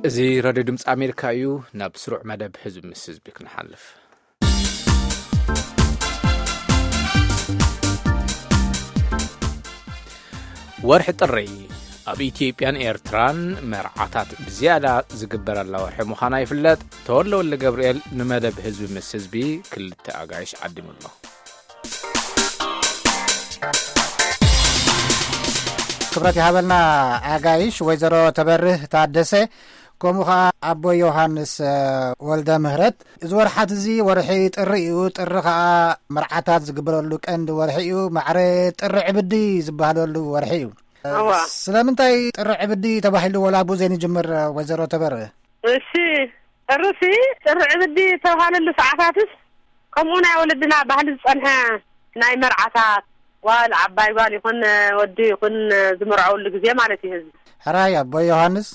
እዚ ሬድዮ ድምፂ ኣሜሪካ እዩ። ናብ ስሩዕ መደብ ህዝቢ ምስ ህዝቢ ክንሓልፍ። ወርሒ ጥሪ ኣብ ኢትዮጵያን ኤርትራን መርዓታት ብዝያዳ ዝግበረላ ወርሒ ምዃና ይፍለጥ። ተወልደ ወልደ ገብርኤል ንመደብ ህዝቢ ምስ ህዝቢ ክልተ ኣጋይሽ ዓዲሙ ኣሎ። ክብረት ይሃበልና ኣጋይሽ ወይዘሮ ተበርህ ታደሰ፣ ከምኡ ኸዓ ኣቦ ዮሃንስ፣ እ፣ ወልደ ምህረት። እዚ ወርሓት እዚ ወርሒ ጥሪ እዩ። ጥሪ ኸዓ መርዓታት ዝግበረሉ ቀንዲ ወርሒ እዩ። ማዕረ ጥሪ ዕብዲ ዝበሃለሉ ወርሒ እዩ። እዋ። ስለምንታይ ጥሪ ዕብዲ ተባሂሉ ወላ ኣብኡ ዘይንጅምር፣ ወይዘሮ ተበርህ? እሺ፣ ጥርሲ ጥሪ ዕብዲ ዝተባህለሉ ሰዓታትስ ከምኡ ናይ ወለድና ባህሊ ዝጸንሐ ናይ መርዓታት ጓል፣ ዓባይ ጓል ይኹን ወዲ ይኹን ዝምርዐወሉ ግዜ ማለት እዩ። ህዝቢ ሕራይ ኣቦ ዮሃንስ።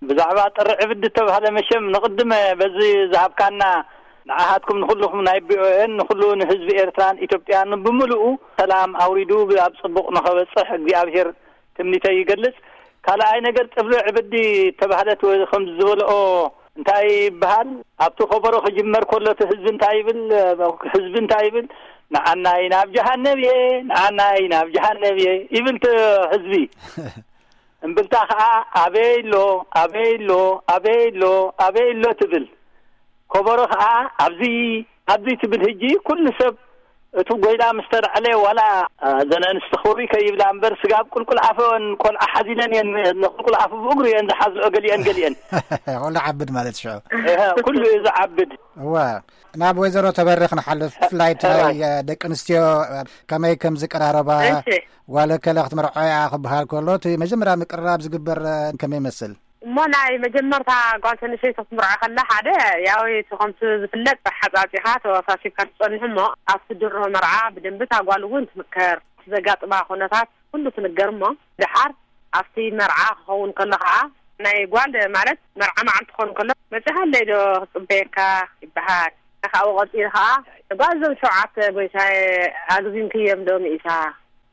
ብዛዕባ ጥሪ ዕብዲ እተባህለ መሸም ንቕድመ በዚ ዝሃብካና ንዓኻትኩም ንኹልኹም ናይ ቪኦኤን ንኹሉ ንህዝቢ ኤርትራን ኢትዮጵያን ብምሉኡ ሰላም ኣውሪዱ ኣብ ጽቡቕ ንኸበጽሕ እግዚኣብሔር ትምኒተይ ይገልጽ። ካልኣይ ነገር ጥሪ ዕብዲ እተባህለት ወይ ከም ዝበልኦ እንታይ ይበሃል? ኣብቲ ከበሮ ክጅመር ከሎ እቲ ህዝቢ እንታይ ይብል? ህዝቢ እንታይ ይብል? ንዓናይ ናብ ጀሃነብ እየ፣ ንዓናይ ናብ ጀሃነብ እየ ይብል እቲ ህዝቢ። እምብልታ ኸዓ ኣበይ ኣሎ፣ ኣበይ ኣሎ፣ ኣበይ ኣሎ፣ ኣበይ ኣሎ ትብል። ከበሮ ኸዓ ኣብዚ፣ ኣብዚ ትብል። ህጂ ኩሉ ሰብ እቲ ጎይላ ምስ ተላዕለ ዋላ፣ እ፣ እዘን ኣንስቲ ክብሪ ከይብላ እምበር ስጋብ ቁልቁል ኣፈን ቆልዓ ሓዚለን እየን፣ ንቁልቁል ኣፉ ብእግሩ እየን ዝሓዝኦ ገሊአን ገሊአን። ኩሉ ዓብድ ማለት ሽዑ። እሀ፣ ኩሉ እዩ ዝዓብድ። እዋ፣ ናብ ወይዘሮ ተበርኽ ንሓልፍ። ብፍላይ እቲ ናይ፣ እዋይ። እ፣ ደቂ ኣንስትዮ፣ እ፣ ከመይ ከም ዝቀራረባ፣ እሺ። ጓል ከለ ክትምርዖ እያ ክበሃል ከሎ፣ እቲ መጀመርያ ምቅርራብ ዝግበር፣ እ፣ ከመይ ይመስል? እሞ ናይ መጀመርታ ጓል ተንሸይቲ ክትምርዖ ከላ ሓደ፣ ያው እቲ ከምቲ ዝፍለጥ ሓጻጺኻ ተወሳሲብካ ትጸንሕ እሞ፣ ኣብቲ ድሮ መርዓ ብደንቢ እታ ጓል እውን ትምከር። ዘጋጥማ ኩነታት ኩሉ ትንገር እሞ፣ ደሓር ኣብቲ መርዓ ክኸውን ከሎ ኸዓ፣ ናይ ጓል ማለት መርዓ መዓልቲ ክኸውን ከሎ፣ "መጺኻለይ ዶ ክጽበየካ?" ይበሃል። ካብኡ ቀጺሉ ኸዓ፣ "ጓል እዞም ሸውዓተ ጎይታየ ኣግዚምክዮም ዶ ሚእታ?"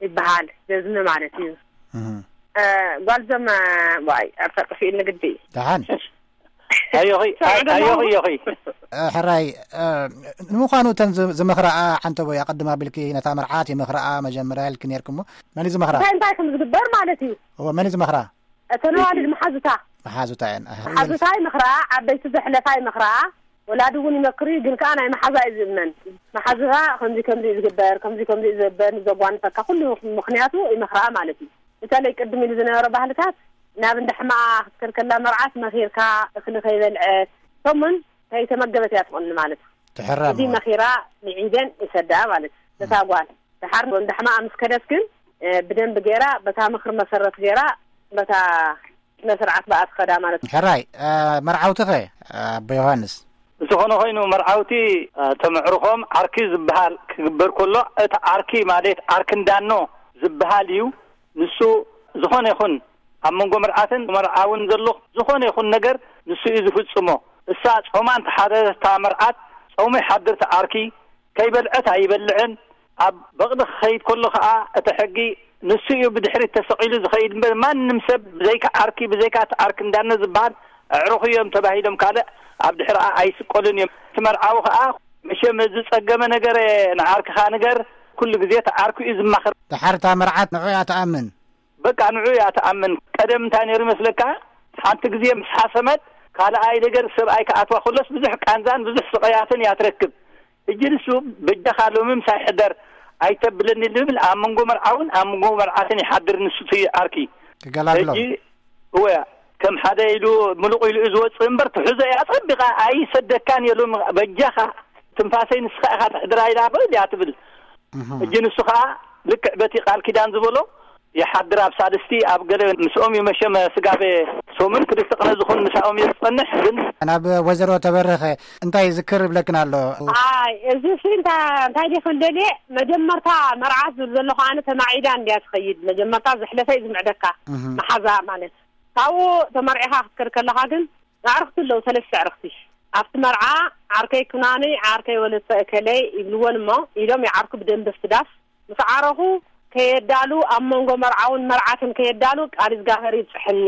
ይበሃል። ዘዝሚ ማለት እዩ። እህ። እ፣ ጓል እዞም፣ ዋይ፣ ኣብታ ጠፊእኒ ግዲ። ደሓን። ኣዮኺ፣ ኣዮኺ፣ ኣዮኺ። እ፣ ሕራይ፣ እ፣ ንምዃኑ እተን ዝ-፣ ዝመኽራኣ ዓንተቦይ ኣቐድም ኣቢልኪ ነታ መርዓት ይመኽራኣ መጀመርያ ኢልኪ ነይርኪ እሞ፣ መን እዩ ዝመኽራ? እንታይ እንታይ ከም ዝግበር ማለት እዩ? እወ፣ መን እዩ ዝመኽራ? እተን ኣዋልድ መሓዙታ። መሓዙታ እየን። ኣህ፣ መሓዙታ ይመኽራኣ፣ ዓበይቲ ዘሕለፋ ይመኽራኣ፣ ወላዲ እውን ይመክር እዩ፣ ግን ከኣ ናይ መሓዛ እዩ ዝእመን። መሓዙታ ከምዚ ከምዚ እዩ ዝግበር፣ ከምዚ ከምዚ እዩ ዝግበር፣ ንዘጓንፈካ ኩሉ ምኽንያቱ ይመኽራኣ ማለት እዩ። በተለይ ቅድም ኢሉ ዝነበረ ባህልታት ናብ እንዳ ሕማኣ ክትከድ ከላ መርዓት መኺርካ እኽሊ ከይበልዐት፣ ከምኡውን ከይተመገበት እያ ትቕኒ ማለት እዩ። ትሕረም እዚ ማለት። መኺራ ንዒደን ይሰድኣ ማለት እዩ። ነታ ጓል። ደሓር እንዳ ሕማኣ ምስ ከደት ግን፣ እ፣ ብደንቢ ገይራ፣ በታ ምኽሪ መሰረት ገይራ፣ በታ ስነ ስርዓት ብኣ ትኸዳ ማለት እዩ። ሕራይ፣ እ፣ መርዓውቲ ኸ፣ እ፣ ኣቦ ዮሃንስ? ዝኾነ ኾይኑ መርዓውቲ፣ እ፣ ተመዕርኾም ዓርኪ ዝበሃል ክግበር ከሎ፣ እቲ ዓርኪ ማለት ዓርኪ እንዳኖ ዝበሃል እዩ። ንሱ ዝኾነ ይኹን ኣብ መንጎ መርዓትን መርዓውን ዘሎ ዝኾነ ይኹን ነገር ንሱ እዩ ዝፍጽሞ። እሳ ጾማ እንተሓደረት እታ መርዓት፣ ጾሙ ይሓድር እቲ ዓርኪ፣ ከይበልዐት ኣይበልዕን። ኣብ በቕሊ ክኸይድ ከሎ ኸኣ እቲ ሕጊ ንሱ እዩ ብድሕሪት ተሰቒሉ ዝኸይድ እምበር፣ ማንም ሰብ ብዘይካ ዓርኪ፣ ብዘይካ እቲ ዓርኪ እንዳነ ዝበሃል ኣዕሩኽ እዮም ተባሂሎም ካልእ ኣብ ድሕሪኣ ኣይስቀሉን እዮም። እቲ መርዓዊ ኸኣ መሸም ዝጸገመ ነገር ንዓርክኻ ንገር፣ ኩሉ ግዜ እቲ ዓርኩ እዩ ዝማኸር። ደሓር እታ መርዓት ንዑ እያ ትኣምን። በቃ ንዑ እያ ትኣምን። ቀደም እንታይ ነይሩ ይመስለካ? ሓንቲ ግዜ ምስ ሓሰመት፣ ካልኣይ ነገር ሰብኣይ ክኣትዋ ከሎስ ብዙሕ ቃንዛን ብዙሕ ስቐያትን እያ ትረክብ። ሕጂ ንሱ በጃኻ ሎሚ ምሳይ ሕደር ኣይተብለኒ ዝብል ኣብ መንጎ መርዓውን ኣብ መንጎ መርዓትን ይሓድር ንሱ እቲ ዓርኪ። ክገላግሎ። ሕጂ እወ፣ ከም ሓደ ኢሉ ምሉቕ ኢሉ እዩ ዝወጽእ እምበር ትሕዞ እያ ጸቢቓ ኣይሰደካን እየ ሎሚ በጃኻ ትንፋሰይ ንስኻ ኢኻ ትሕድራ ኢላ በል እያ ትብል። እህ። ሕጂ ንሱ ኸኣ ልክዕ በቲ ቃል ኪዳን ዝበሎ ይሓድር ኣብ ሳልስቲ ኣብ ገለ ምስኦም እዩ መሸመ ስጋቤ ሶምን ክልተ ቅነ ዝኾን ምሳኦም እየ ዝጸንሕ ግን ናብ ወይዘሮ ተበረኸ እንታይ ዝክር ይብለክን ኣሎ? ኣይ፣ እዚ ሲ እንታ-፣ እንታይ ዲኺ ደልየ፣ መጀመርታ መርዓት ዝብል ዘለኹ ኣነ ተማዒዳ እንድያ ትኸይድ። መጀመርታ ዘሕለፈ እዩ ዝምዕደካ፣ እህ። መሓዛ ማለት። ካብኡ ተመርዒኻ ክትከድ ከለኻ ግን ኣዕርኽቲ ኣለዉ፣ ሰለስተ ኣዕርኽቲ። ኣብቲ መርዓ ዓርከይ ኩናኒ፣ ዓርከይ ወለተ እከለይ ይብልወን እሞ፣ ኢሎም ይዓርኩ ብደንቢ ኣብቲ ዳስ። ምስ ዓረኹ ከየዳሉ፣ ኣብ መንጎ መርዓውን መርዓትን ከየዳሉ ቃል እግዚኣብሔር ይብጽሐኒ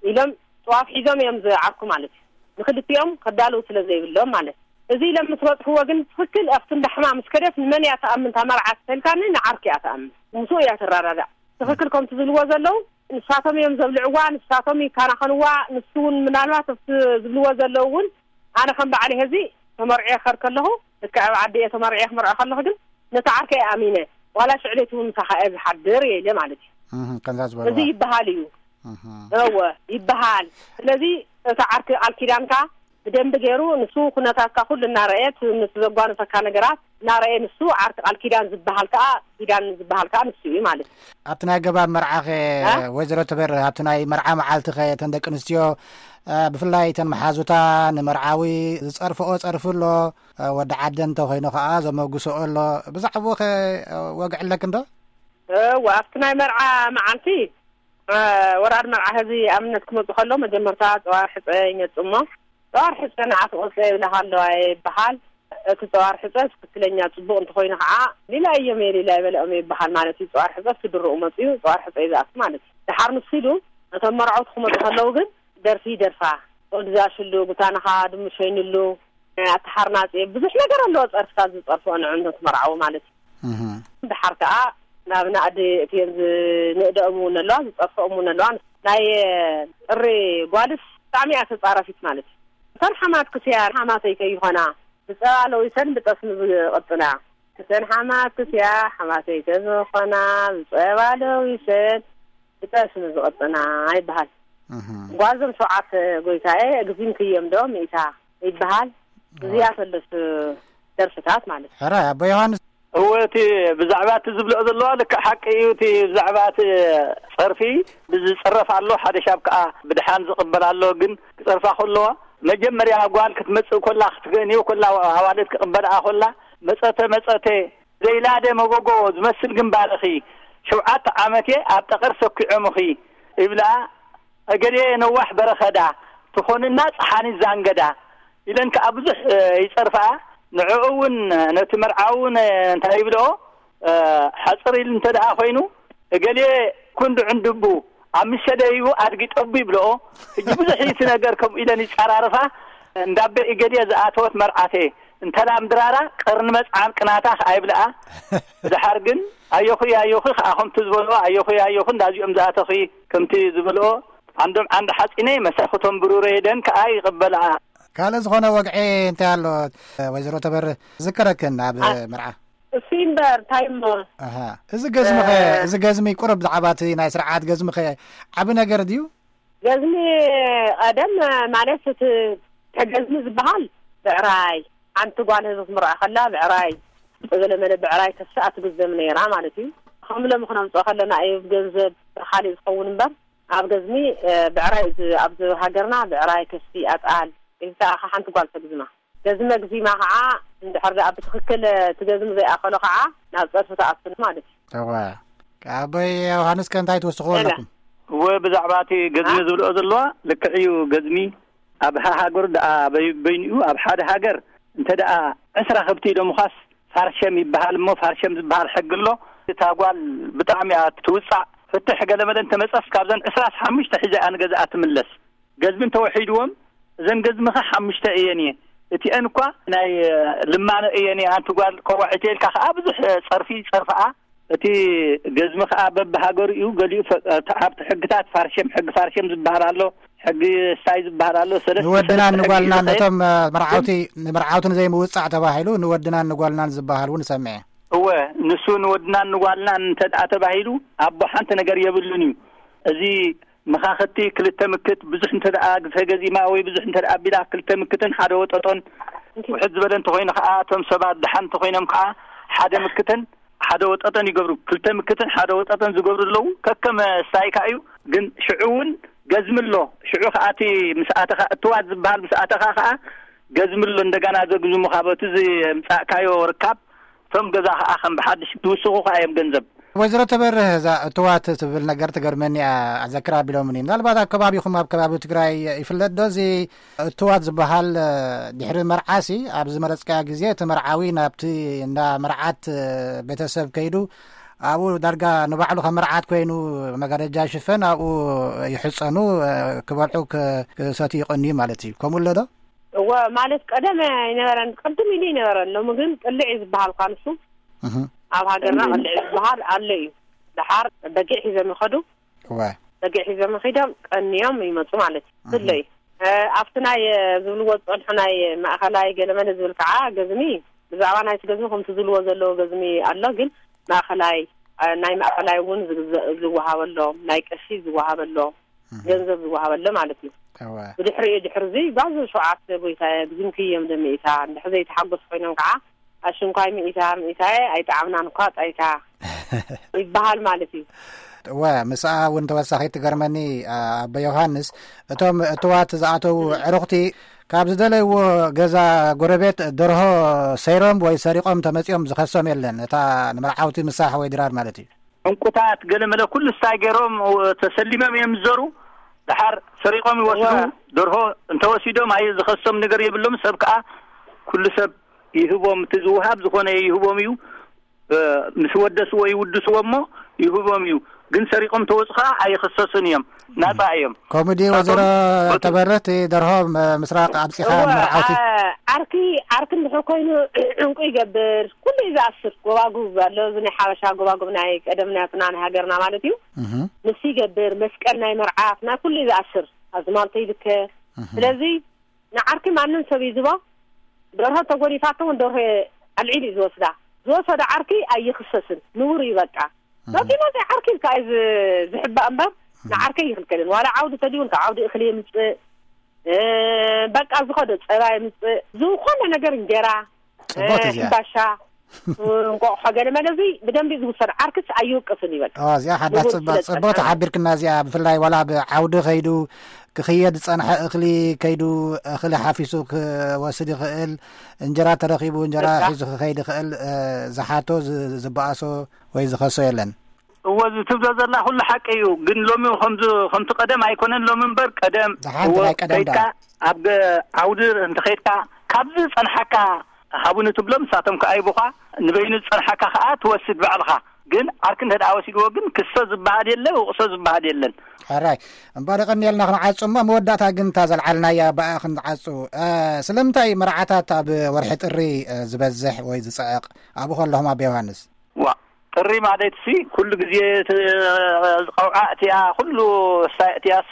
ኢሎም ጥዋፍ ሒዞም እዮም ዝዓርኩ ማለት እዩ። ንክልቲኦም ከዳልው ስለ ዘይብሎም ማለት እዩ። እዚ ኢሎም ምስ በፅሕዎ ግን ትኽክል ኣብቲ እንዳ ሕማም ምስ ከደት ንመን እያ ትኣምን? እታ መርዓ ተልካኒ ንዓርኪ እያ ትኣምን። ምስኡ እያ ትረዳዳእ። ትኽክል ከምቲ ዝብልዎ ዘለዉ ንሳቶም እዮም ዘብልዕዋ፣ ንሳቶም ይከናኸንዋ። ንሱ እውን ምናልባት ኣብቲ ዝብልዎ ዘለዉ እውን ኣነ ከም በዓል ህዚ ተመርዑ የኸር ከለኹ ልክዕ ኣብ ዓዲ እየ ተመርዑ ክምርዖ ከለኹ ግን ነቲ ዓርከ እየ ኣሚነ ዋላ ሽዕሌት እውን ምሳኻ እየ ዝሓድር እየ ኢለ ማለት እዩ። እህ፣ ከምዛ ዝበልዋ። እዚ ይበሃል እዩ። እህ። እወ ይበሃል። ስለዚ እቲ ዓርኪ ቃል ኪዳንካ ብደንቢ ገይሩ ንሱ ኩነታትካ ኩሉ እናረእየ፣ እቲ ዘጓነፈካ ነገራት እናረእየ፣ ንሱ ዓርኪ ቃል ኪዳን ዝበሃል ከዓ፣ ኪዳን ዝበሃል ከዓ ንሱ እዩ ማለት እዩ። ኣብቲ ናይ ገባብ መርዓኸ እ? ወይዘሮ ተበርህ ኣብቲ ናይ መርዓ መዓልትኸ እተን ደቂ ኣንስትዮ እ፣ ብፍላይ እተን መሓዙታ ንመርዓዊ ዝፀርፍኦ ፀርፊ ኣሎ፣ እ፣ ወዲ ዓደ እንተኮይኑ ከዓ ዘመጉስኦ ኣሎ። ብዛዕባኡ ከ እ፣ ወግዒ ኣለክ እንዶ? እወ ኣብቲ ናይ መርዓ መዓልቲ እ፣ ወራድ መርዓ ህዚ ኣብነት ክመፁ ከሎ መጀመርታ ፀዋር ሕፀ ይመፁ እሞ ፀዋር ሕፀ ንዓ ትቆፀ ይብላካ ኣለዋ ይበሃል። እቲ ፀዋር ሕፀ ትክክለኛ ፅቡቅ እንተኮይኑ ከዓ ሊላ እዮም የሊላ ይበልኦም ይበሃል ማለት እዩ። ፀዋር ሕፀ ስድርኡ መፅኡ ፀዋር ሕፀ ይዝኣቱ ማለት እዩ። ድሓር ንሱ ኢሉ እቶም መርዓውቲ ክመፁ ከለዉ ግን ደርፊ ይደርፋ። ወዲ ዝኣሽሉ ጉታንኻ ድምሸይንሉ ኣተሓርናፂ ብዙሕ ነገር ኣለዎ። ፀርፍታት ዝፀርፍኦ ንዕንቶ ትመርዓዊ ማለት እዩ። እህ። ድሓር ከዓ ናብ ናእዲ እትየን ዝንእደኦም እውን ኣለዋ ዝፀርፍኦም እውን ኣለዋ። ናይ ጥሪ ጓልስ ብጣዕሚ እያ ተፃራፊት ማለት እዩ። እተን ሓማት ክስያ ሓማተይ ከይኾና ብፀባ ለዊሰን ብጠስሚ ዝቕጥና። እተን ሓማት ክስያ ሓማተይ ከዝኾና ብፀባ ለዊሰን ብጠስሚ ዝቕጥና ይበሃል። እህ። ጓዞም ሸውዓተ ጎይታኤ፣ እግዚም ክየም ዶ ሚእታ ይበሃል። እዚኣ ተለስ ደርፍታት ማለት እዩ። ሕራይ ኣቦ ዮሃንስ። እወ፣ እቲ ብዛዕባ እቲ ዝብልኦ ዘለዋ ልክዕ ሓቂ እዩ። እቲ ብዛዕባ እቲ ጸርፊ ብዝጸረፍ ኣሎ፣ ሓደ ሻብ ከኣ ብድሓን ዝቕበል ኣሎ። ግን ክጸርፋ ከለዋ፣ መጀመርያ ጓል ክትመጽእ ከላ፣ ክትገንዮ ከላ፣ ኣዋልድ ክቕበልኣ ከላ፣ መጸተ መጸተ፣ ዘይላደ መጎጎ ዝመስል ግንባርኺ፣ ሸውዓተ ዓመት እየ ኣብ ጠቐር ሰኪዖምኺ ይብልኣ፣ እገሌ ነዋሕ በረኸዳ፣ ትኾንና ጸሓኒት ዛንገዳ ኢለን ከኣ ብዙሕ፣ እ፣ ይጸርፍኣ። ንዕኡ እውን፣ ነቲ መርዓ እውን፣ እ፣ እንታይ ይብልኦ፣ እ፣ ሓጽር ኢሉ እንተ ደኣ ኾይኑ፣ እገሌ ኩንዱ ዕንድቡ፣ ኣብ ምሸ ደይቡ ኣድጊ ጠቡ ይብልኦ። ሕጂ ብዙሕ እዩ እቲ ነገር፣ ከምኡ ኢለን ይጸራርፋ። እንዳበ እገሌ ዝኣተወት መርዓተ፣ እንተላ ምድራራ ቀርኒ መጽዓን ቅናታ ከኣ ይብልኣ። ድሓር ግን ኣዮኺ ኣዮኺ ከኣ ከምቲ ዝበልኦ ኣዮኺ ኣዮኺ እንዳዚኦም ዝኣተኺ ከምቲ ዝበልኦ ዓንዶም ዓንዲ ሓጺነይ መሳኹቶም ብሩረይ ደን ከኣ ይቕበልኣ። ካልእ ዝኾነ ወግዒ እንታይ ኣሎ? ወይዘሮ ተበርህ ዝከረክን ኣብ ኣ- መርዓ። እሱ እምበር እንታይ እሞ? ኣሃ። እዚ ገዝሚ ኸ፣ እ- እዚ ገዝሚ ቁሩብ ብዛዕባ እቲ ናይ ስርዓት ገዝሚ ኸ ዓቢ ነገር ድዩ? ገዝሚ ቀደም ማለት እቲ ገዝሚ ዝበሃል ብዕራይ፣ ሓንቲ ጓል ህዝቢ ክትምርዓ ከላ ብዕራይ፣ ገለመለ ብዕራይ ከስኣ ትግዘም ነይራ ማለት እዩ። ከም ሎሚ ክነምፅኦ ከለና እዩ ገንዘብ ካልእ ዝኸውን እምበር ኣብ ገዝሚ፣ እ፣ ብዕራይ እዚ ኣብዚ ሃገርና ብዕራይ ከስቲ ኣጣል ኢልካ ኢኻ ሓንቲ ጓል ተግዝማ። ገዝሚ ኣግዚማ ከዓ እንድሕር ደኣ ብትኽክል እቲ ገዝሚ ዘይኣኸሎ ከዓ ናብ ፀርፊ ተኣቱ ማለት እዩ። እወ። ኣቦይ ዮሃንስ ከ እንታይ ትውስኽዎ ሄላ። ኣለኩም? እወ፣ ብዛዕባ እቲ ገዝሚ ኣ? ዝብልኦ ዘለዋ ልክዕ እዩ። ገዝሚ ኣብ ሃ-፣ ሃገሩ ደኣ በይ-፣ በይኑ እዩ። ኣብ ሓደ ሃገር እንተ ደኣ ዕስራ ከብቲ ኢሎምኻስ ፋርሸም ይበሃል እሞ፣ ፋርሸም ዝበሃል ሕጊ ኣሎ። እታ ጓል ብጣዕሚ እያ ትውጻዕ። ፍትሕ ገለመለ እንተመጸስ ካብዘን ዕስራስ ሓሙሽተ ሒዛ እያ ንገዝኣ ትምለስ። ገዝሚ እንተወሒድዎም፣ እዘን ገዝምኻ ሓሙሽተ እየን እየ። እቲአን እኳ ናይ ልማኖ እየን እየ። ኣንቲ ጓል ቆዋዒተ ኢልካ ከኣ ብዙሕ ጸርፊ ይጸርፍኣ። እቲ ገዝሚ ከኣ በብሃገሩ እዩ። ገሊኡ ፈ-፣ ኣብቲ ሕግታት ፋርሸም፣ ሕጊ ፋርሸም ዝበሃል ኣሎ፣ ሕጊ ስታይ ዝበሃል ኣሎ። ሰለስተ ንወድናን ሰለስተ ሕጊ ንጓልናን እዩ ዝኸየድ። ነቶም፣ እ፣ መርዓውቲ፣ ግን ንመርዓውቲ ንዘይምውጻዕ ተባሂሉ ንወድናን ንጓልናን ዝበሃል እውን እሰምዐ። እወ፣ ንሱ ንወድናን ንጓልናን እንተ ደኣ ተባሂሉ፣ ኣቦ ሓንቲ ነገር የብሉን እዩ። እዚ መኻኽቲ ክልተ ምክት ብዙሕ እንተ ደኣ ግፈ ገዚማ ወይ ብዙሕ እንተ ደኣ ኣቢላ ክልተ ምክትን ሓደ ወጠጦን ውሕድ ዝበለ እንተኾይኑ ከኣ፣ እቶም ሰባት ደሓን እንተኾይኖም ከኣ ሓደ ምክትን ሓደ ወጠጠን ይገብሩ። ክልተ ምክትን ሓደ ወጠጠን ዝገብሩ ኣለዉ። ከከም ስታይካ እዩ። ግን ሽዑ እውን ገዝሚ ኣሎ። ሽዑ ከኣ እቲ ምስ ኣተኻ፣ እትዋት ዝበሃል ምስ ኣተኻ ከኣ ገዝሚ ኣሎ። እንደገና ዘግዝሙኻ በቲ ዝምጻእካዮ ርካብ፣ እቶም ገዛ ከኣ ከም ብሓድሽ ዝውስኹኻ እዮም ገንዘብ። ወይዘሮ ተበርህ፣ እዛ እትዋት ትብል ነገር ትገርመኒ እያ። ኣዘክር ኣቢሎምኒ። ምናልባት ኣብ ከባቢኹም፣ ኣብ ከባቢ ትግራይ ይፍለጥ ዶ እዚ እትዋት ዝበሃል? ድሕሪ መርዓሲ ኣብ ዝመረጽካዮ ግዜ እቲ መርዓዊ ናብቲ እንዳ መርዓት ቤተሰብ ከይዱ ኣብኡ ዳርጋ ንባዕሉ ከም መርዓት ኮይኑ መጋረጃ ይሽፈን፣ ኣብኡ ይሕጸኑ፣ እ፣ ክበልዑ፣ ክ-፣ ክሰትዩ ይቐንዩ ማለት እዩ። ከምኡ ኣሎ ዶ? እወ፣ ማለት ቀደም ኣይነበረን፣ ቅድም ኢሉ ኣይነበረን። ሎሚ ግን ቅልዕ እዩ ዝበሃል እኳ ንሱ። እህ። ኣብ ሃገርና ቅልዕ እዩ ዝበሃል ኣሎ እዩ። ደሓር በጊዕ ሒዞም ይኸዱ። እወ። በጊዕ ሒዞም ኺዶም ቀንዮም ይመጹ ማለት እዩ። እህ። ብፍለይ፣ እ፣ ኣብቲ ናይ፣ እ፣ ዝብልዎ ዝጸንሑ ናይ ማእኸላይ ገለመለ ዝብል ከዓ ገዝሚ፣ ብዛዕባ ናይቲ ገዝሚ ከምቲ ዝብልዎ ዘለዎ ገዝሚ ኣሎ፣ ግን ማእኸላይ፣ እ፣ ናይ ማእኸላይ እውን ዝግዘ-፣ ዝወሃበሎም፣ ናይ ቀሺ ዝወሃበሎም፣ እህ። ገንዘብ ዝወሃበሎም ማለት እዩ። እወ። ብድሕሪኡ ድሕሪ እዚ ጓዝ ሸውዓተ ጎይታ ግዝምክዮም ደሚኢታ፣ እንድሕር ዘይተሓጎስ ኮይኖም ከዓ ኣሽንኳይ ሚኢታ፣ ሚኢታየ ኣይጠዓምናን እኳ ጣይታ ይበሃል ማለት እዩ። እወ፣ ምስኣ እውን ተወሳኺ ትገርመኒ፣ ኣ-፣ ኣቦ ዮሃንስ፣ እቶም እትዋት ዝኣተዉ ዕሩኽቲ ካብ ዝደለይዎ ገዛ ጎረቤት ደርሆ ሰይሮም ወይ ሰሪቖም ተመጺኦም ዝኸሶም የለን። እታ ንመርዓውቲ ምሳሕ ወይ ድራር ማለት እዩ። ዕንቁታት ገለ መለ ኩሉ ስታይ ገይሮም ተሰሊሞም እዮም ዝዞሩ። ደሓር ሰሪቖም ይወስዱ። እወ። ደርሆ እንተወሲዶም ኣየ ዝኸሶም ነገር የብሎም። ሰብ ከኣ ኩሉ ሰብ ይህቦም፣ እቲ ዝውሃብ ዝኾነ ይህቦም እዩ። እ፣ ምስ ወደስዎ ይውድስዎ እሞ ይህቦም እዩ። ግን ሰሪቖም ተወጹ ከኣ ኣይኽሰሱን እዮም። ናጻ እዮም። ከምኡ ድዩ ናቶም ወይዘሮ በቱ ተበርህ፣ እቲ ደርሆ ም-፣ ምስራቕ ኣብጺኻ እወ፣ ንመርዓውቲ? ዓ-፣ ዓርኪ፣ ዓርኪ እንድሕር ኮይኑ ዕንቁ ይገብር። ኩሉ እዩ ዝኣስር። ጎባጉብ ኣሎ፣ እዚ ናይ ሓበሻ ጎባጉብ ናይ ቀደም ናትና ናይ ሃገርና ማለት እዩ። እህ። ንሱ ይገብር፣ መስቀል ናይ መርዓት፣ ናይ ኩሉ እዩ ዝኣስር። ኣዝማልቶ ይልከ። እህ። ስለዚ ንዓርኪ ማንም ሰብ ይዝቦ፣ ደርሆ ተጎዲፋቶ እውን ደርሆ ኣልዒሉ እዩ ዝወስዳ። ዝወሰዶ ዓርኪ ኣይኽሰስን፣ ንቡር እዩ በቃ። እህ። መፂ መፂ ዓርኪ ኢልካ እዩ ዝ-፣ ዝሕባእ እምበር፣ እህ። ንዓርከይ ይኽልከልን። ዋላ ዓውዲ ተድዩ እውን ካብ ዓውዲ እኽሊ የምፅእ፣ እ፣ በቃ ዝኸዶ ፀባ የምፅእ፣ ዝኾነ ነገር እንጀራ፣ ጽቡቕ እ፣ እዚኣ። ሕምባሻ፣ እንቋቑሖ ገለ መለ እዚ ብደንቢ ዝውሰድ፣ ዓርክስ ኣይውቅስን ይበል። ኦ፣ እዚኣ ሓዳስ ንቡር ጽባ-፣ ስለ ጽቡቕ ዝጸንሐ። ተሓቢርክና እዚኣ። ብፍላይ ዋላ ብዓውዲ ከይዱ ክኽየድ ዝጸንሐ እኽሊ ከይዱ፣ እኽሊ ሓፊሱ ክወስድ ይኽእል፣ እንጀራ ተረኺቡ እንጀራ በቃ። ሒዙ ክኸይድ ይኽእል፣ እ፣ ዝሓቶ፣ ዝ-፣ ዝበኣሶ ወይ ዝኸሶ የለን። እወ፣ እዚ ትብሎ ዘላ ኩሉ ሓቂ እዩ። ግን ሎሚ ከምዚ፣ ከምቲ ቀደም ኣይኮነን ሎሚ እምበር፣ ቀደም ዝሓንቲ እወ፣ ናይ ቀደም ከይድካ ዳ። ኣብ ገ-፣ ዓውዲ እንተኸይድካ፣ ካብዚ ዝጸንሓካ ሃቡኒ ትብሎ፣ ንሳቶም ከኣ ይቡኻ፣ ንበይኑ ዝጸንሓካ ከኣ ትወስድ ባዕልኻ። ግን ዓርኪ እንተ ደኣ ወሲድዎ ግን ክሶ ዝበሃል የለ፣ ውቕሶ ዝበሃል የለን። ሕራይ፣ እምበር የቐንየልና ክንዓጹ እሞ፣ መወዳእታ ግን እታ ዘልዓልናያ ብኣ ክንዓጹ። እ፣ ስለምንታይ መርዓታት ኣብ ወርሒ ጥሪ፣ እ፣ ዝበዝሕ ወይ ዝጽዕቕ? ኣብኡ ከለኹም ኣቦ ዮሃንስ። ዋ፣ ጥሪ ማለት ሲ ኩሉ ግዜ እቲ ቀውዓ እቲኣ፣ ኩሉ ሳይ እቲኣስ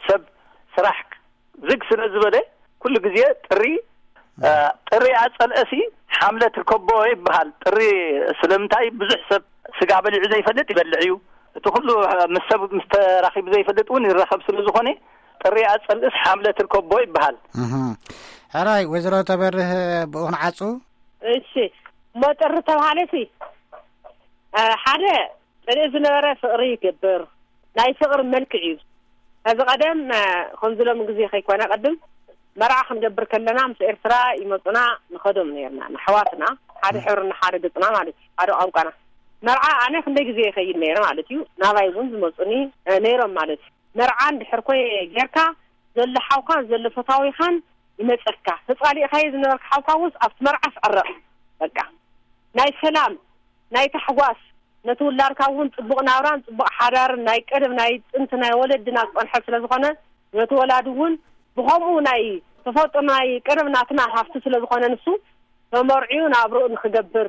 ሰብ ስራሕ ዝግ ስለ ዝበለ፣ ኩሉ ግዜ ጥሪ፣ እ፣ ጥሪ ኣጸልአ ሲ ሓምለ ትርከቦ ይበሃል። ጥሪ ስለምንታይ ብዙሕ ሰብ ስጋ በሊዑ ዘይፈልጥ ይበልዕ እዩ። እቲ ኩሉ ምስ ሰብ ምስ ተራኺቡ ዘይፈልጥ እውን ይራኸብ ስለ ዝኾነ፣ ጥሪ ኣጸልእስ ሓምለ ትርከቦ ይበሃል። እህ። ሕራይ፣ ወይዘሮ ተበርህ፣ ብኡ ክንዓጹ? እሺ፣ እሞ ጥሪ ተባሃለ ሲ፣ እ፣ ሓደ ጽልኢ ዝነበረ ፍቕሪ ይገብር። ናይ ፍቕሪ መልክዕ እዩ። ከዚ ቀደም፣ እ፣ ከምዚ ሎሚ ግዜ ከይኮነ፣ ቅድም መርዓ ክንገብር ከለና ምስ ኤርትራ ይመጹና፣ ንኸዶም ነርና፣ ንኣሕዋትና፣ ሓደ እህ። ሕብርና፣ ሓደ ገጽና ማለት እዩ፣ ሓደ ቋንቋና። መርዓ ኣነ ክንደይ ግዜ ይኸይድ ነይረ ማለት እዩ። ናባይ እውን ዝመጹኒ፣ እ፣ ነይሮም ማለት እዩ። መርዓ እንድሕር ኮ ጌርካ፣ ዘሎ ሓውካን ዘሎ ፈታዊኻን ይመጸካ። ተጻሊእካዮ ዝነበርካ ሓውካ እውን ኣብቲ መርዓ ይዕረቕ። በቃ፣ ናይ ሰላም፣ ናይ ታሕጓስ፣ ነቲ ውላድካ እውን ጽቡቕ ናብራን ጽቡቕ ሓዳርን ናይ ቀደም ናይ ጥንቲ ናይ ወለድና ዝጸንሐ ስለ ዝኾነ፣ ነቲ ወላዲ እውን ብኸምኡ ናይ ተፈጥሮ ናይ ቀደም ናትና ሃፍቲ ስለ ዝኾነ፣ ንሱ ተመርዕዩ ናብርኡ ንኽገብር፣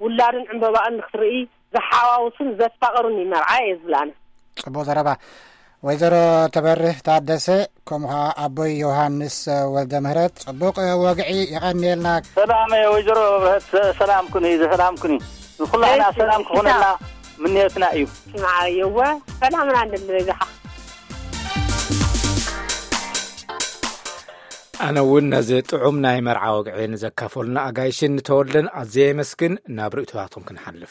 ውላድን ዕምበባኡን ንኽትርኢ ዘሓዋውስን ዘፋቕርን እዩ መርዓ እየ ዝብል ኣነ። ጽቡቕ ዘረባ። ወይዘሮ ተበርህ ታደሰ፣ ከምኡ ኸዓ ኣቦይ ዮሃንስ ወልደ ምህረት፣ ጽቡቕ ወግዒ፣ የቐንየልና። ሰላም ወይዘሮ ብርሀት፣ ሰላም ኩኒ፣ ሰላም ኩኒ። ንኹላህና እሺ፣ ሰላም እሺ፣ ክኾነልና ሰላም። ምንዮትና እዩ። ስምዓ፣ የወ፣ ሰላምና ንደሊ በይዛኻ። ኣነ እውን ነዚ ጥዑም ናይ መርዓ ወግዒ ንዘካፈሉና ኣጋይሽን ተወልደን ኣዝየ የመስግን። ናብ ርእይቶታቶም ክንሓልፍ።